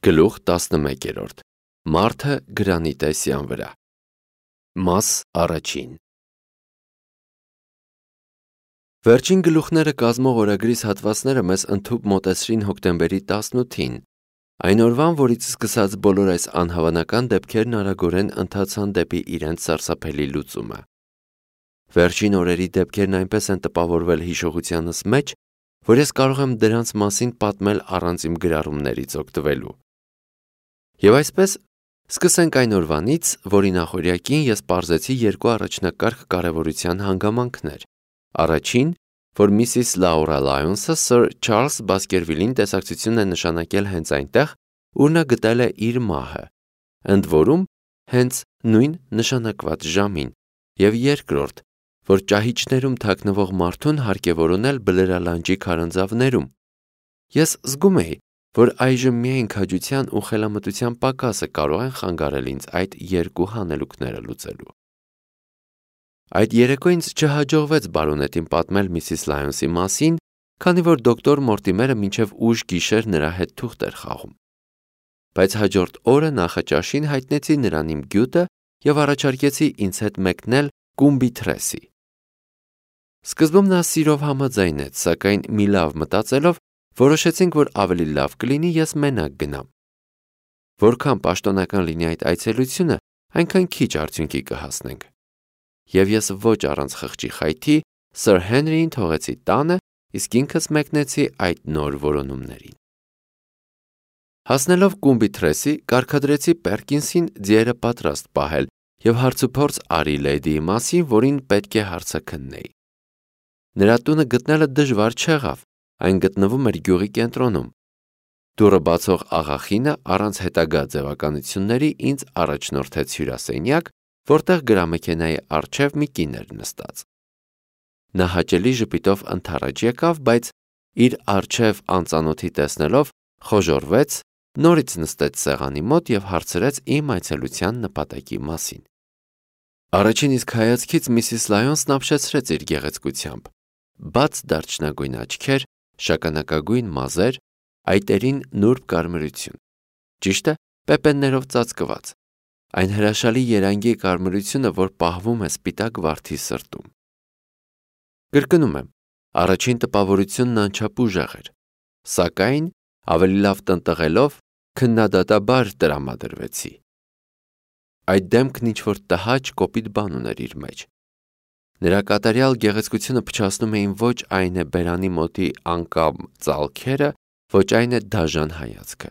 Գլուխ 11. Մարդը գրանի տեսյան վրա։ Մաս առաջին։ Վերջին գլուխները կազմող օրագրիս հատվածները մեզ ընդհուպ մոտեցրին հոկտեմբերի 18-ին, այն օրվան, որից սկսած բոլոր այս անհավանական դեպքերն արագորեն ընթացան դեպի իրենց սարսափելի լուծումը։ Վերջին օրերի դեպքերն այնպես են տպավորվել հիշողությանս մեջ, որ ես կարող եմ դրանց մասին պատմել առանց իմ գրառումներից օգտվելու։ Եվ այսպես, սկսենք այն օրվանից, որի նախօրյակին ես պարզեցի երկու առաջնակարգ կարևորության հանգամանքներ։ Առաջին, որ Միսիս Լաուրա Լայոնսը Սր Չարլզ Բասկերվիլին տեսակցություն է նշանակել հենց այնտեղ, ուր նա գտել է իր մահը, ընդ որում հենց նույն նշանակված ժամին, և երկրորդ, որ ճահիճներում թաքնվող մարդուն հարկ է որոնել բլրալանջի քարանձավներում։ Ես զգում էի, որ այժմ միայն քաջության ու խելամտության պակասը կարող են խանգարել ինձ այդ երկու հանելուկները լուծելու։ Այդ երեկո ինձ չհաջողվեց բարոնետին պատմել Միսիս Լայոնսի մասին, քանի որ դոկտոր Մորտիմերը մինչև ուշ գիշեր նրա հետ թուղթ էր խաղում։ Բայց հաջորդ օրը նախաճաշին հայտնեցի նրան իմ գյուտը և առաջարկեցի ինձ հետ մեկնել Կումբիթրեսի։ Սկզբում նա սիրով համաձայնեց, սակայն մի լավ մտածելով որոշեցինք, որ ավելի լավ կլինի ես մենակ գնամ։ Որքան պաշտոնական լինի այդ այցելությունը, այնքան քիչ արդյունքի կհասնենք։ Եվ ես ոչ առանց խղճի խայթի Սր Հենրիին թողեցի տանը, իսկ ինքս մեկնեցի այդ նոր որոնումներին։ Հասնելով Կումբիթրեսի, կարգադրեցի Պերկինսին ձիերը պատրաստ պահել և հարցուփորձ արի լեդիի մասին, որին պետք է հարցը քննեի։ Նրա տունը գտնելը դժվար չեղավ, այն գտնվում էր գյուղի կենտրոնում։ Դուռը բացող աղախինը առանց հետագա ձևականությունների ինձ առաջնորդեց հյուրասենյակ, որտեղ գրամեքենայի առջև մի կին էր նստած։ Նա հաճելի ժպիտով ընդառաջ եկավ, բայց իր առջև անծանոթի տեսնելով խոժոռվեց, նորից նստեց սեղանի մոտ և հարցրեց իմ այցելության նպատակի մասին։ Առաջին իսկ հայացքից Միսիս Լայոնսն ապշեցրեց իր գեղեցկությամբ։ Բաց դարչնագույն աչքեր, շագանակագույն մազեր, այտերին նուրբ կարմրություն։ Ճիշտ է, պեպեններով ծածկված։ Այն հրաշալի երանգի կարմրությունը, որ պահվում է սպիտակ վարդի սրտում։ Կրկնում եմ, առաջին տպավորությունն անչափ ուժեղ էր, սակայն ավելի լավ տնտղելով քննադատաբար տրամադրվեցի։ Այդ դեմքն ինչ-որ տհաճ կոպիտ բան ուներ իր մեջ։ Նրա կատարյալ գեղեցկությունը փչացնում էին ոչ այն է բերանի մոտի անկամ ծալքերը, ոչ այն է դաժան հայացքը։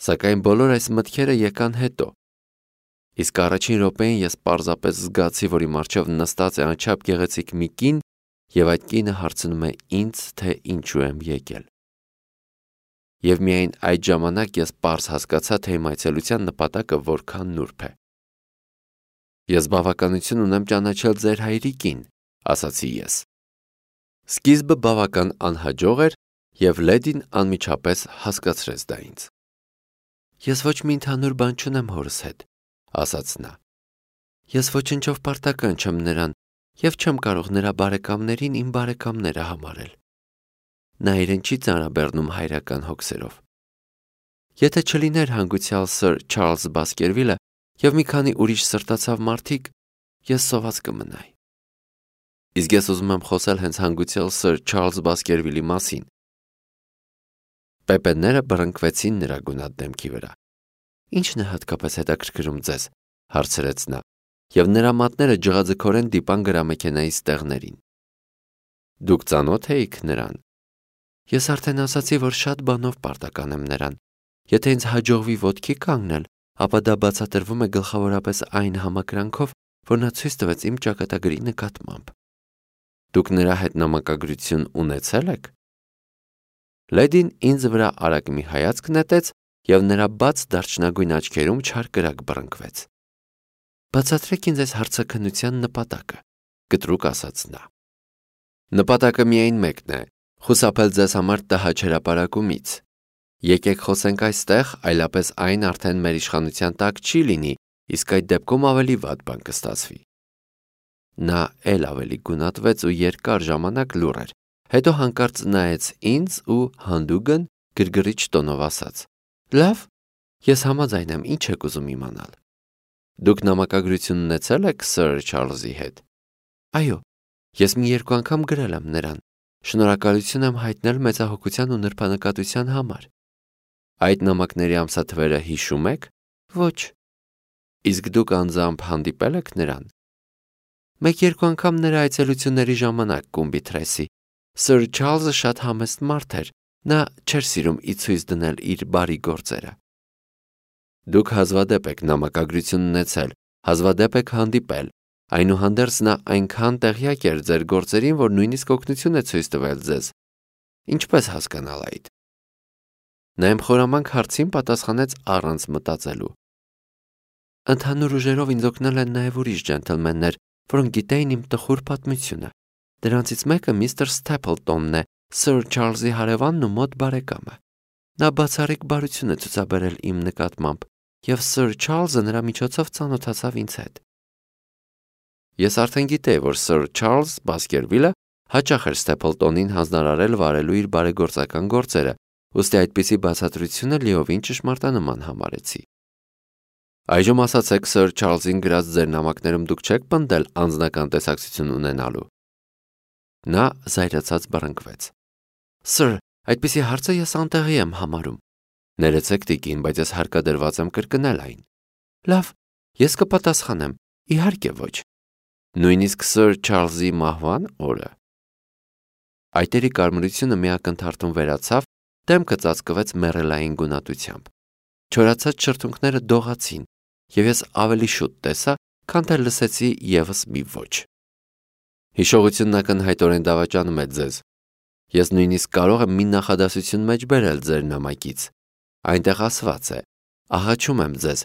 Սակայն բոլոր այս մտքերը եկան հետո։ Իսկ առաջին րոպեին ես պարզապես զգացի, որ իմ առջև նստած է անչափ գեղեցիկ մի կին, և այդ կինը հարցնում է ինձ, թե ինչու եմ եկել։ Եվ միայն այդ ժամանակ ես պարզ հասկացա, թե իմ այցելության նպատակը որքան նուրբ է։ Ես բավականություն ունեմ ճանաչել ձեր հայրիկին, ասացի ես։ Սկիզբը բավական անհաջող էր, և լեդին անմիջապես հասկացրեց դա ինձ։ Ես ոչ մի ընդհանուր բան չունեմ հորս հետ, ասաց նա։ Ես ոչնչով պարտական չեմ նրան և չեմ կարող նրա բարեկամներին իմ բարեկամները համարել։ Նա իրեն չի ծանրաբեռնում հայրական հոգսերով։ Եթե չլիներ հանգուցյալ Սր Չարլզ Բասկերվիլը և մի քանի ուրիշ սրտացավ մարդիկ, ես սոված կմնայի։ Իսկ ես ուզում եմ խոսել հենց հանգուցյալ Սր Չարլզ Բասկերվիլի մասին։ Պեպենները բռնկվեցին նրա գունատ դեմքի վրա։ Ի՞նչն է հատկապես հետաքրքրում ձեզ, հարցրեց նա, և նրա մատները ջղաձգորեն դիպան գրամեքենայի ստեղներին։ Դուք ծանոթ էիք նրան։ Ես արդեն ասացի, որ շատ բանով պարտական եմ նրան։ Եթե ինձ հաջողվի ոտքի կանգնել, ապա դա բացատրվում է գլխավորապես այն համակրանքով, որ նա ցույց տվեց իմ ճակատագրի նկատմամբ։ Դուք նրա հետ նամակագրություն ունեցել եք։ Լեդին ինձ վրա արագ մի հայացք նետեց, և նրա բաց դարչնագույն աչքերում չար կրակ բռնկվեց։ Բացատրեք ինձ այս հարցաքննության նպատակը, կտրուկ ասաց նա։ Նպատակը միայն մեկն է՝ խուսափել ձեզ համար տհաճ հրապարակումից։ Եկեք խոսենք այստեղ, այլապես այն արդեն մեր իշխանության տակ չի լինի, իսկ այդ դեպքում ավելի վատ բան կստացվի։ Նա էլ ավելի գունատվեց ու երկար ժամանակ լուռ էր, հետո հանկարծ նայեց ինձ ու հանդուգն գրգռիչ տոնով ասաց. Լավ, ես համաձայն եմ, ինչ եք ուզում իմանալ։ Դուք նամակագրություն ունեցել եք Սըր Չարլզի հետ։ Այո, ես մի երկու անգամ գրել եմ նրան։ Շնորհակալություն եմ հայտնել մեծահոգության ու նրբանկատության համար։ Այդ նամակների ամսաթվերը հիշում եք։ Ոչ։ Իսկ դուք անձամբ հանդիպել եք նրան։ Մեկ-երկու անգամ նրա այցելությունների ժամանակ կումբի Թրեսի։ Սըր Չարլզը շատ համեստ մարդ էր, նա չէր սիրում ի ցույց դնել իր բարի գործերը։ Դուք հազվադեպ եք նամակագրություն ունեցել, հազվադեպ եք հանդիպել, այնուհանդերձ նա այնքան տեղյակ էր ձեր գործերին, որ նույնիսկ օգնություն է ցույց տվել ձեզ։ Ինչպես հասկանալ այդ։ Նա իմ խորամանկ հարցին պատասխանեց առանց մտածելու։ Ընդհանուր ուժերով ինձ օգնել են նաև ուրիշ ջենթլմեններ, որոնք գիտեին իմ տխուր պատմությունը։ Դրանցից մեկը միստր Սթեփլտոնն է, Սըր Չարլզի հարևանն ու մոտ բարեկամը։ Նա բացառիկ բարություն է ցուցաբերել իմ նկատմամբ, եւ Սըր Չարլզը նրա միջոցով ծանոթացավ ինձ հետ։ Ես արդեն գիտեի, որ Սըր Չարլզ Բասկերվիլը հաճախ էր Ստեփլտոնին հանձնարարել վարելու իր բարեգործական գործերը, ուստի այդպիսի բացատրությունը լիովին ճշմարտանման համարեցի։ Այժմ ասացեք, Սըր Չարլզին գրած ձեր նամակներում դուք չեք պնդել անձնական տեսակցություն ունենալու։ Նա զայրացած բռնկվեց։ Սըր, այդպիսի հարցը ես անտեղի եմ համարում։ Ներեցեք տիկին, բայց ես հարկադրված եմ կրկնել այն։ Լավ, ես կպատասխանեմ, իհարկե ոչ։ Նույնիսկ Սըր Չարլզի մահվան օրը։ Այտերի կարմրությունը մի ակնթարթում վերացավ, դեմքը ծածկվեց մեռելային գունատությամբ։ Չորացած շրթունքները դողացին, եւ ես ավելի շուտ տեսա, քան թե լսեցի եւս մի ոչ։ Հիշողությունն ակնհայտորեն դավաճանում է ձեզ։ Ես նույնիսկ կարող եմ մի նախադասություն մեջ բերել ձեր նամակից։ Այնտեղ ասված է. աղաչում եմ ձեզ,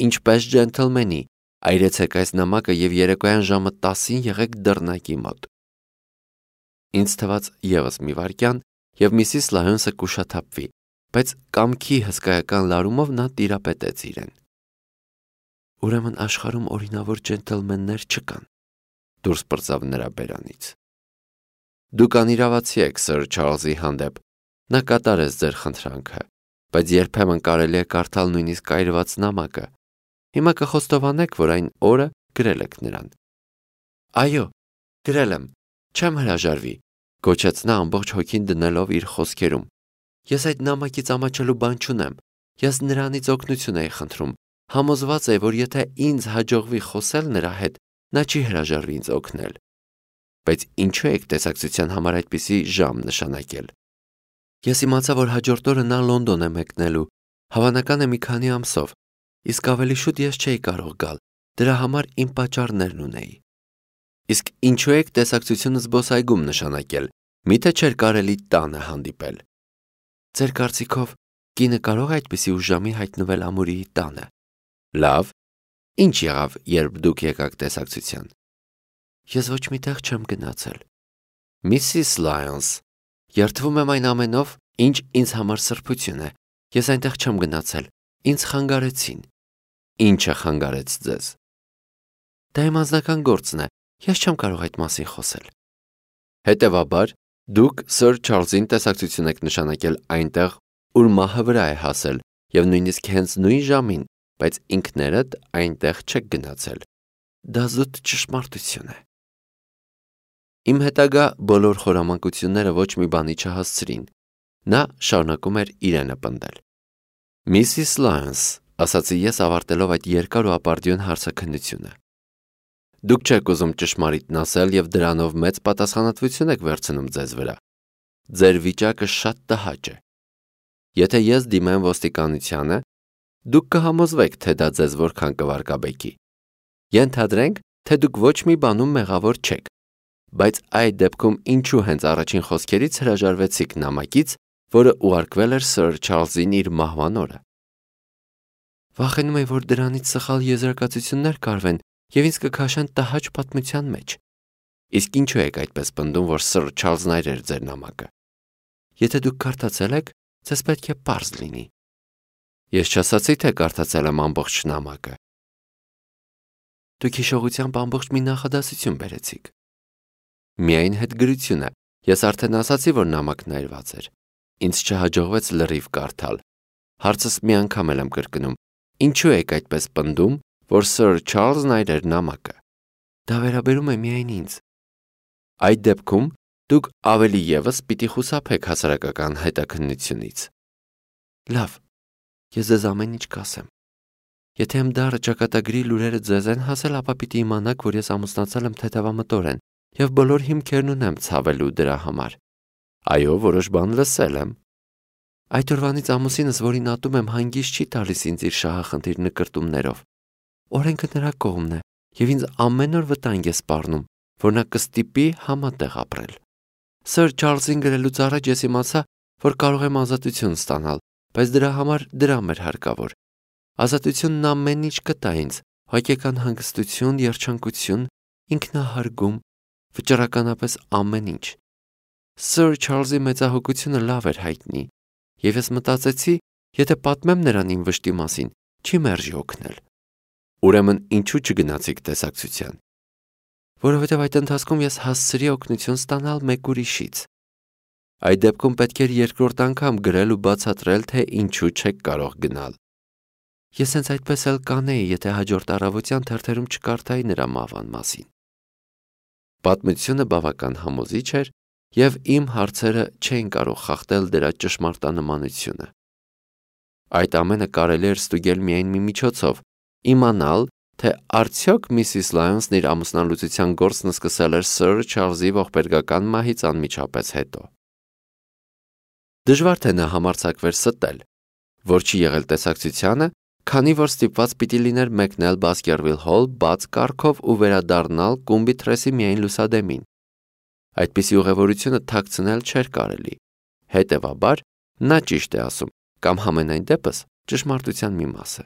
ինչպես ջենթլմենի, այրեցեք այս նամակը եւ երեկոյան ժամը 10-ին եղեք դռնակի մոտ։ Ինձ թվաց եւս մի վայրկյան, եւ Միսիս Լայոնսը կուշաթափվի, բայց կամքի հսկայական լարումով նա տիրապետեց իրեն։ Ուրեմն աշխարհում օրինավոր ջենթլմեններ չկան։ Դուրս պրծավ նրա բերանից։ Դուք անիրավացի եք Սըր Չարլզի հանդեպ, նա կատարեց ձեր խնդրանքը, բայց երբեմն կարելի է կարդալ նույնիսկ այրված նամակը։ Հիմա կխոստովանեք, որ այն օրը գրել եք նրան։ Այո, գրել եմ, չեմ հրաժարվի, գոչեց նա ամբողջ հոգին դնելով իր խոսքերում։ Ես այդ նամակից ամաչելու բան չունեմ, ես նրանից օգնություն էի խնդրում, համոզված էի, որ եթե ինձ հաջողվի խոսել նրա հետ, նա չի հրաժարվի ինձ օգնել։ Բայց ինչու եք տեսակցության համար այդպիսի ժամ նշանակել։ Ես իմացա, որ հաջորդ օրը նա Լոնդոն է մեկնելու, հավանական է մի քանի ամսով, իսկ ավելի շուտ ես չէի կարող գալ, դրա համար իմ պատճառներն ունեի։ Իսկ ինչու եք տեսակցությունը զբոսայգում նշանակել, միթե չէր կարելի տանը հանդիպել։ Ձեր կարծիքով կինը կարող է այդպիսի ուժամի հայտնվել ամուրիի տանը։ Լավ, ինչ եղավ, երբ դուք եկաք տեսակցության։ Ես ոչ մի տեղ չեմ գնացել։ Միսիս Լայոնս, երդվում եմ այն ամենով, ինչ ինձ համար սրբություն է։ Ես այնտեղ չեմ գնացել, ինձ խանգարեցին։ Ինչը խանգարեց ձեզ։ Դա իմ անձնական գործն է, ես չեմ կարող այդ մասին խոսել։ Հետևաբար, դուք Սըր Չարլզին տեսակցություն եք նշանակել այնտեղ, ուր մահը վրա է հասել, եւ նույնիսկ հենց նույն ժամին, բայց ինքներդ այնտեղ չեք գնացել։ Դա զուտ ճշմարտություն է։ Իմ հետագա բոլոր խորամանկությունները ոչ մի բանի չհասցրին։ Նա շարունակում էր իրենը պնդել։ Միսիս Լայոնս, ասացի ես ավարտելով այդ երկար ու ապարդյուն հարցաքննությունը։ Դուք չեք ուզում ճշմարիտն ասել եւ դրանով մեծ պատասխանատվություն եք վերցնում ձեզ վրա։ Ձեր վիճակը շատ տհաճ է։ Եթե ես դիմեմ ոստիկանությանը, դուք կհամոզվեք, թե դա ձեզ որքան կվարկաբեկի։ Ենթադրենք, թե դուք ոչ մի բանում մեղավոր չեք, բայց այդ դեպքում ինչու հենց առաջին խոսքերից հրաժարվեցիք նամակից, որը ուղարկվել էր Սըր Չարլզին իր մահվան օրը։ Վախենում եմ, որ դրանից սխալ եզրակացություններ կարվեն եւ ինձ կքաշեն տհաճ պատմության մեջ։ Իսկ ինչու եք այդպես պնդում, որ Սըր Չարլզն այրեր ձեր նամակը։ Եթե դուք կարդացել եք, ձեզ պետք է պարզ լինի։ Ես չասացի, թե կարդացել եմ ամբողջ նամակը։ Դուք հիշողությամբ ամբողջ մի նախադասություն բերեցիք։ Միայն հետգրությունը, ես արդեն ասացի, որ նամակն այրված էր։ Ինձ չհաջողվեց լրիվ կարդալ։ Հարցս մի անգամ եմ կրկնում. ինչու եք այդպես պնդում, որ Սըր Չարլզն այր էր նամակը։ Դա վերաբերում է միայն ինձ։ Այդ դեպքում դուք ավելի ևս պիտի խուսափեք հասարակական հետաքննությունից։ Լավ, ես ձեզ ամեն ինչ կասեմ։ Եթե իմ դառը ճակատագրի լուրերը ձեզ են հասել, ապա պիտի իմանաք, որ ես ամուսնացել եմ թեթևամտորեն և բոլոր հիմքերն ունեմ ցավելու դրա համար։ Այո, որոշ բան լսել եմ։ Այդ օրվանից ամուսինս, որին ատում եմ, հանգիստ չի տալիս ինձ իր շահախնդիր նկրտումներով։ Օրենքը նրա կողմն է, և ինձ ամեն օր վտանգ է սպառնում, որ նա կստիպի համատեղ ապրել։ Սըր Չարլզին գրելուց առաջ ես իմացա, որ կարող եմ ազատություն ստանալ, բայց դրա համար դրամ էր հարկավոր։ Ազատությունն ամեն ինչ կտա ինձ, հոգեկան հանգստություն, երջանկություն, ինքնահարգում, վճռականապես ամեն ինչ։ Սըր Չարլզի մեծահոգությունը լավ էր հայտնի, և ես մտածեցի, եթե պատմեմ նրան իմ վշտի մասին, չի մերժի օգնել։ Ուրեմն ինչու չգնացիք տեսակցության։ Որովհետև այդ ընթացքում ես հասցրի օգնություն ստանալ մեկ ուրիշից։ Այդ դեպքում պետք էր երկրորդ անգամ գրել ու բացատրել, թե ինչու չեք կարող գնալ։ Ես հենց այդպես էլ կանեի, եթե հաջորդ առավոտյան թերթերում չկարդայի նրա մահվան մասին։ Պատմությունը բավական համոզիչ էր, և իմ հարցերը չէին կարող խախտել դրա ճշմարտանմանությունը։ Այդ ամենը կարելի էր ստուգել միայն մի միջոցով՝ իմանալ, թե արդյոք Միսիս Լայոնսն իր ամուսնալուծության գործն սկսել էր Սըր Չարլզի ողբերգական մահից անմիջապես հետո։ Դժվար թե նա համարձակվեր ստել, որ չի եղել տեսակցությանը, քանի որ ստիպված պիտի լիներ մեկնել Բասկերվիլ Հոլ բաց կառքով ու վերադառնալ Կումբի միայն լուսադեմին։ Այդպիսի ուղևորությունը թաքցնել չէր կարելի։ Հետևաբար, նա ճիշտ է ասում, կամ համենայն դեպս ճշմարտության մի մասը։